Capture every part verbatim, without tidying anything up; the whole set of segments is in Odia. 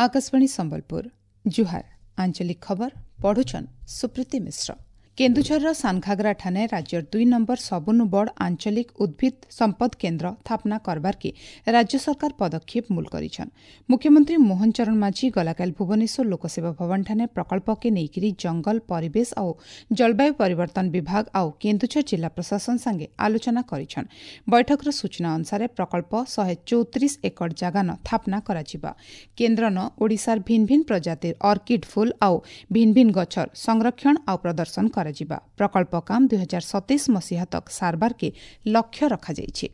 ଆକାଶବାଣୀ ସମ୍ବଲପୁର ଜୁହାର ଆଞ୍ଚଳିକ ଖବର ପଢୁଛନ୍ ସୁପ୍ରୀତି ମିଶ୍ର କେନ୍ଦୁଝରର ସାନଘାଗରା ଠାନେ ରାଜ୍ୟର ଦୁଇ ନମ୍ବର ସବୁନୁ ବଡ଼ ଆଞ୍ଚଳିକ ଉଦ୍ଭିଦ ସମ୍ପଦ କେନ୍ଦ୍ର ସ୍ଥାପନା କରବାର୍କେ ରାଜ୍ୟ ସରକାର ପଦକ୍ଷେପ ମୂଲ କରିଛନ୍ ମୁଖ୍ୟମନ୍ତ୍ରୀ ମୋହନ ଚରଣ ମାଝୀ ଗଲାକାଲି ଭୁବନେଶ୍ୱର ଲୋକସେବା ଭବନଠାନେ ପ୍ରକଳ୍ପକେ ନେଇକରି ଜଙ୍ଗଲ ପରିବେଶ ଆଉ ଜଳବାୟୁ ପରିବର୍ତ୍ତନ ବିଭାଗ ଆଉ କେନ୍ଦୁଝର ଜିଲ୍ଲା ପ୍ରଶାସନ ସାଙ୍ଗେ ଆଲୋଚନା କରିଛନ୍ ବୈଠକର ସୂଚନା ଅନୁସାରେ ପ୍ରକଳ୍ପ ଶହେ ଚଉତିରିଶ ଏକର ଜାଗାନ ସ୍ଥାପନା କରାଯିବା କେନ୍ଦ୍ରନ ଓଡ଼ିଶାର ଭିନ୍ ଭିନ୍ ପ୍ରଜାତିର ଅର୍କିଡ୍ ଫୁଲ ଆଉ ଭିନ୍ ଭିନ୍ ଗଛର ସଂରକ୍ଷଣ ଆଉ ପ୍ରଦର୍ଶନ କରାଯିବା ପ୍ରକଳ୍ପ କାମ ଦୁଇ ହଜାର ସତେଇଶ ମସିହା ତକ୍ ସାରବାର୍କେ ଲକ୍ଷ୍ୟ ରଖାଯାଇଛି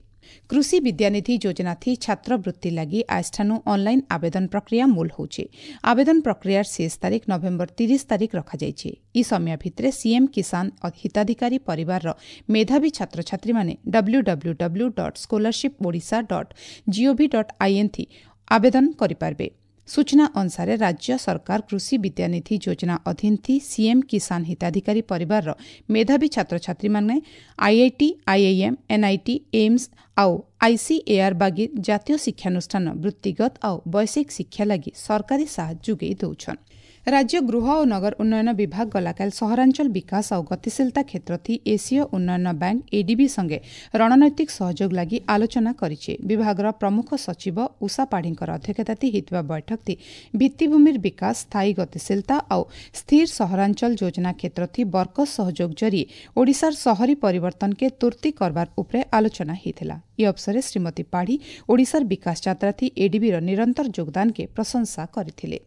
କୃଷି ବିଦ୍ୟାନିଧି ଯୋଜନା ଥି ଛାତ୍ରବୃତ୍ତି ଲାଗି ଆଜଠାନୁ ଅନ୍ଲାଇନ୍ ଆବେଦନ ପ୍ରକ୍ରିୟା ମୂଲ ହେଉଛି ଆବେଦନ ପ୍ରକ୍ରିୟାର ଶେଷ ତାରିଖ ନଭେମ୍ବର ତିରିଶ ତାରିଖ ରଖାଯାଇଛି ଇ ସମୟ ଭିତରେ ସିଏମ୍ କିଷାନ ହିତାଧିକାରୀ ପରିବାରର ମେଧାବୀ ଛାତ୍ରଛାତ୍ରୀମାନେ W W W dot scholarship Odisha dot gov dot in ଥି ଆବେଦନ କରିପାରିବେ ସୂଚନା ଅନୁସାରେ ରାଜ୍ୟ ସରକାର କୃଷି ବିଦ୍ୟାନିଧି ଯୋଜନା ଅଧୀନ ଥି ସିଏମ୍ କିଷାନ ହିତାଧିକାରୀ ପରିବାରର ମେଧାବୀ ଛାତ୍ରଛାତ୍ରୀମାନେ ଆଇଆଇଟି ଆଇଆଇଏମ୍ ଏନ୍ଆଇଟି ଏମ୍ସ ଆଉ ଆଇସିଏଆର୍ ବାଗିର ଜାତୀୟ ଶିକ୍ଷାନୁଷ୍ଠାନ ବୃତ୍ତିଗତ ଆଉ ବୈଷୟିକ ଶିକ୍ଷା ଲାଗି ସରକାରୀ ସାହାଯ୍ୟ ଯୋଗାଇ ଦେଉଛନ୍ ରାଜ୍ୟ ଗୃହ ଓ ନଗର ଉନ୍ନୟନ ବିଭାଗ ଗଲାକାଲି ସହରାଞ୍ଚଳ ବିକାଶ ଆଉ ଗତିଶୀଳତା କ୍ଷେତ୍ର ଥି ଏସୀୟ ଉନ୍ନୟନ ବ୍ୟାଙ୍କ ଏଡିବି ସଙ୍ଗେ ରଣନୈତିକ ସହଯୋଗ ଲାଗି ଆଲୋଚନା କରିছে ବିଭାଗର ପ୍ରମୁଖ ସଚିବ ଉଷା ପାଢ଼ୀଙ୍କର ଅଧ୍ୟକ୍ଷତାଥି ହୋଇଥିବା ବୈଠକଥି ଭିତ୍ତିଭୂମିର ବିକାଶ ସ୍ଥାୟୀ ଗତିଶୀଳତା ଆଉ ସ୍ଥିର ସହରାଞ୍ଚଳ ଯୋଜନା କ୍ଷେତ୍ରଥି ବର୍କସ ସହଯୋଗ ଜରିଏ ଓଡ଼ିଶାର ସହରୀ ପରିବର୍ତ୍ତନକେ ତୁର୍ତ୍ତି କରବାର ଉପରେ ଆଲୋଚନା ହୋଇଥିଲା ଇ ଅବସରେ ଶ୍ରୀମତୀ ପାଢ଼ୀ ଓଡ଼ିଶାର ବିକାଶ ଯାତ୍ରାଥି ଏଡିବିର ନିରନ୍ତର ଯୋଗଦାନକେ ପ୍ରଶଂସା କରିଥିଲେ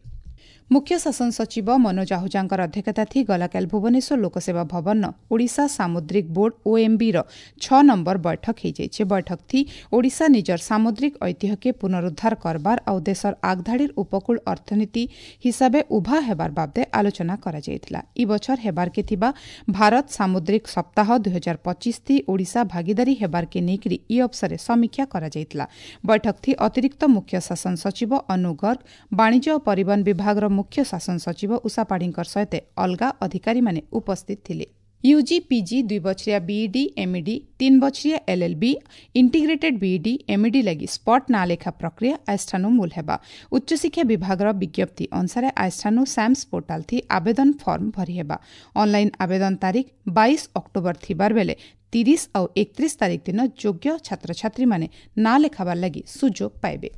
ମୁଖ୍ୟ ଶାସନ ସଚିବ ମନୋଜ ଆହୁଜାଙ୍କର ଅଧ୍ୟକ୍ଷତାଥି ଗଲାକାଲି ଭୁବନେଶ୍ୱର ଲୋକସେବା ଭବନ ଓଡ଼ିଶା ସାମୁଦ୍ରିକ ବୋର୍ଡ ଓଏମ୍ବିର ଛଅ ନମ୍ବର ବୈଠକ ହୋଇଯାଇଛି ବୈଠକଥି ଓଡ଼ିଶା ନିଜର ସାମୁଦ୍ରିକ ଐତିହ୍ୟକେ ପୁନରୁଦ୍ଧାର କରବାର ଆଉ ଦେଶର ଆଗଧାଡ଼ିର ଉପକୂଳ ଅର୍ଥନୀତି ହିସାବେ ଉଭା ହେବାର ବାବଦେ ଆଲୋଚନା କରାଯାଇଥିଲା ଇ ବଛର ହେବାର୍କେ ଥିବା ଭାରତ ସାମୁଦ୍ରିକ ସପ୍ତାହ ଦୁଇ ହଜାର ପଚିଶ ଥି ଓଡ଼ିଶା ଭାଗିଦାରୀ ହେବାର୍କେ ନେଇକରି ଇ ଅବସରେ ସମୀକ୍ଷା କରାଯାଇଥିଲା ବୈଠକଥି ଅତିରିକ୍ତ ମୁଖ୍ୟ ଶାସନ ସଚିବ ଅନୁ ଗର୍ଗ ବାଣିଜ୍ୟ ଓ ପରିବହନ ବିଭାଗର ମୁଖ୍ୟ ଶାସନ ସଚିବ ଉଷା ପାଢ଼ୀଙ୍କ ସହିତ ଅଲଗା ଅଧିକାରୀମାନେ ଉପସ୍ଥିତ ଥିଲେ ୟୁଜି ପିଜି ଦୁଇ ବଛରିଆ ବିଇଡି ଏମ୍ଇଡି ତିନି ବଛରିଆ ଏଲ୍ଏଲ୍ବି ଇଣ୍ଟିଗ୍ରେଟେଡ୍ ବିଇଡି ଏମ୍ଇଡି ଲାଗି ସ୍ପଟ୍ ନାଁ ଲେଖା ପ୍ରକ୍ରିୟା ଆଜଠାନୁ ମୂଲ ହେବା ଉଚ୍ଚଶିକ୍ଷା ବିଭାଗର ବିଜ୍ଞପ୍ତି ଅନୁସାରେ ଆଜଠାନୁ ସାମ୍ସ ପୋର୍ଟାଲ ଥି ଆବେଦନ ଫର୍ମ ଭରି ହେବା ଅନ୍ଲାଇନ୍ ଆବେଦନ ତାରିଖ ବାଇଶ ଅକ୍ଟୋବର ଥିବାର ବେଲେ ତିରିଶ ଆଉ ଏକତିରିଶ ତାରିଖ ଦିନ ଯୋଗ୍ୟ ଛାତ୍ରଛାତ୍ରୀମାନେ ନାଁ ଲେଖାବାର ଲାଗି ସୁଯୋଗ ପାଇବେ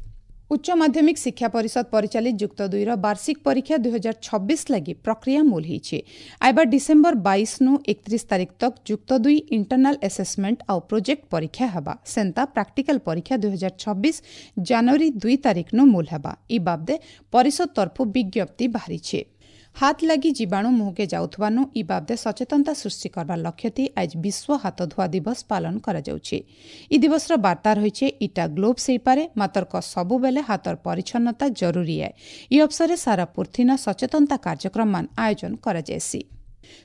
ଉଚ୍ଚ ମାଧ୍ୟମିକ ଶିକ୍ଷା ପରିଷଦ ପରିଚାଳିତ ଯୁକ୍ତ ଦୁଇର ବାର୍ଷିକ ପରୀକ୍ଷା ଦୁଇ ହଜାର ଛବିଶ ଲାଗି ପ୍ରକ୍ରିୟା ମୂଲ ହୋଇଛି ଆଇବା ଡିସେମ୍ବର ବାଇଶନୁ ଏକତିରିଶ ତାରିଖ ତକ୍ ଯୁକ୍ତ ଦୁଇ ଇଣ୍ଟରନାଲ ଆସେସମେଣ୍ଟ ଆଉ ପ୍ରୋଜେକ୍ଟ ପରୀକ୍ଷା ହେବା ସେନ୍ତା ପ୍ରାକ୍ଟିକାଲ ପରୀକ୍ଷା ଦୁଇ ହଜାର ଛବିଶ ଜାନୁଆରୀ ଦୁଇ ତାରିଖନୁ ମୂଲ ହେବା ଇ ବାବଦେ ପରିଷଦ ତରଫୁ ବିଜ୍ଞପ୍ତି ବାହାରିଛି ହାତ ଲାଗି ଜୀବାଣୁ ମୁହଁକେ ଯାଉଥିବାନୁ ଇ ବାବଦେ ସଚେତନତା ସୃଷ୍ଟି କରବାର ଲକ୍ଷ୍ୟଥି ଆଜ ବିଶ୍ୱ ହାତ ଧୁଆ ଦିବସ ପାଳନ କରାଯାଉଛି ଇ ଦିବସର ବାର୍ତ୍ତା ରହିছে ଇଟା ଗ୍ଲୋଭ୍ସ ହେଇପାରେ ମାତର୍କ ସବୁବେଲେ ହାତର ପରିଚ୍ଛନ୍ନତା ଜରୁରୀ ଏ ଇ ଅବସରେ ସାରା ପୃଥିନ ସଚେତନତା କାର୍ଯ୍ୟକ୍ରମମାନ ଆୟୋଜନ କରାଯାଏସି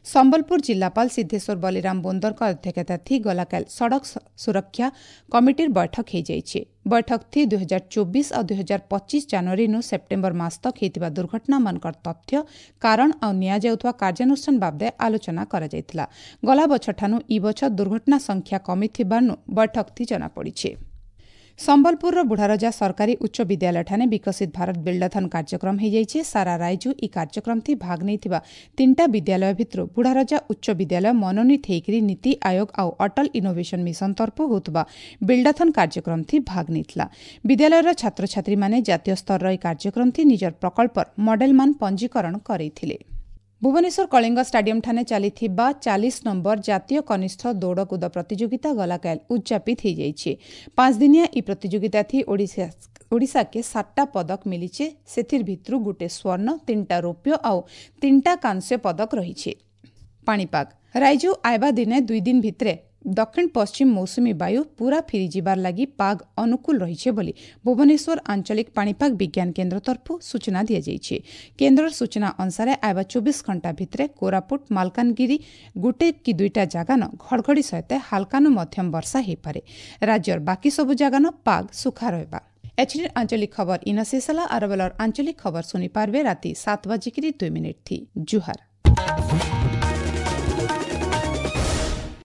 ସମ୍ବଲପୁର ଜିଲ୍ଲାପାଳ ସିଦ୍ଧେଶ୍ୱର ବଲିରାମ ବୋନ୍ଦରଙ୍କ ଅଧ୍ୟକ୍ଷତାଥି ଗଲାକାଲି ସଡ଼କ ସୁରକ୍ଷା କମିଟିର ବୈଠକ ହୋଇଯାଇଛି ବୈଠକଥି ଦୁଇ ହଜାର ଚବିଶ ଆଉ ଦୁଇ ହଜାର ପଚିଶ ଜାନୁଆରୀନୁ ସେପ୍ଟେମ୍ବର ମାସ ତକ୍ ହୋଇଥିବା ଦୁର୍ଘଟଣାମାନଙ୍କର ତଥ୍ୟ କାରଣ ଆଉ ନିଆଯାଉଥିବା କାର୍ଯ୍ୟାନୁଷ୍ଠାନ ବାବଦେ ଆଲୋଚନା କରାଯାଇଥିଲା ଗଲା ବଛରଠାନୁ ଇ ବଛର ଦୁର୍ଘଟଣା ସଂଖ୍ୟା କମିଥିବାରୁ ବୈଠକଥି ଜଣାପଡ଼ିଛି ସମ୍ବଲପୁରର ବୁଢ଼ାରଜା ସରକାରୀ ଉଚ୍ଚ ବିଦ୍ୟାଳୟଠାନେ ବିକଶିତ ଭାରତ ବିଲ୍ଡାଥନ୍ କାର୍ଯ୍ୟକ୍ରମ ହୋଇଯାଇଛି ସାରା ରାଇଜୁ ଇ କାର୍ଯ୍ୟକ୍ରମଥି ଭାଗ ନେଇଥିବା ତିନିଟା ବିଦ୍ୟାଳୟ ଭିତରୁ ବୁଢ଼ାରଜା ଉଚ୍ଚ ବିଦ୍ୟାଳୟ ମନୋନୀତ ହେଇକରି ନୀତି ଆୟୋଗ ଆଉ ଅଟଲ ଇନୋଭେସନ ମିଶନ ତରଫରୁ ହେଉଥିବା ବିଲ୍ଡାଥନ୍ କାର୍ଯ୍ୟକ୍ରମଥି ଭାଗ ନେଇଥିଲା ବିଦ୍ୟାଳୟର ଛାତ୍ରଛାତ୍ରୀମାନେ ଜାତୀୟ ସ୍ତରର ଏହି କାର୍ଯ୍ୟକ୍ରମଥି ନିଜର ପ୍ରକଳ୍ପର ମଡେଲମାନ ପଞ୍ଜୀକରଣ କରାଇଥିଲେ ଭୁବନେଶ୍ୱର କଳିଙ୍ଗ ଷ୍ଟାଡିୟମଠାନେ ଚାଲିଥିବା ଚାଳିଶ ନମ୍ବର ଜାତୀୟ କନିଷ୍ଠ ଦୌଡ଼କୁଦ ପ୍ରତିଯୋଗିତା ଗଲାକାଲି ଉଦ୍ଯାପିତ ହୋଇଯାଇଛି ପାଞ୍ଚଦିନିଆ ଇ ପ୍ରତିଯୋଗିତାଥି ଓଡ଼ିଶା ଓଡ଼ିଶାକେ ସାତଟା ପଦକ ମିଳିছে ସେଥିର ଭିତରୁ ଗୋଟେ ସ୍ୱର୍ଣ୍ଣ ତିନିଟା ରୌପ୍ୟ ଆଉ ତିନିଟା କାଂସ୍ୟ ପଦକ ରହିଛି ପାଣିପାଗ ରାଇଜୁ ଆଇବା ଦିନେ ଦୁଇ ଦିନ ଭିତରେ ଦକ୍ଷିଣ ପଶ୍ଚିମ ମୌସୁମୀ ବାୟୁ ପୂରା ଫିରିଯିବାର ଲାଗି ପାଗ ଅନୁକୂଳ ରହିছে ବୋଲି ଭୁବନେଶ୍ୱର ଆଞ୍ଚଳିକ ପାଣିପାଗ ବିଜ୍ଞାନ କେନ୍ଦ୍ର ତରଫରୁ ସୂଚନା ଦିଆଯାଇଛି କେନ୍ଦ୍ରର ସୂଚନା ଅନୁସାରେ ଆଇବା ଚବିଶ ଘଣ୍ଟା ଭିତରେ କୋରାପୁଟ ମାଲକାନଗିରି ଗୋଟେ କି ଦୁଇଟା ଜାଗାନ ଘଡ଼ଘଡ଼ି ସହିତ ହାଲକାନୁ ମଧ୍ୟମ ବର୍ଷା ହୋଇପାରେ ରାଜ୍ୟର ବାକି ସବୁ ଜାଗାନ ପାଗ ସୁଖା ରହିବା ଏଚଡି ଆଞ୍ଚଳିକ ଖବର ଇନ ଶେଷ ହେଲା ଆରବେଲର ଆଞ୍ଚଳିକ ଖବର ଶୁଣିପାରିବେ ରାତି ସାତ ବାଜିକିରି ଦୁଇ ମିନିଟ୍ ଥି ଜୁହାର।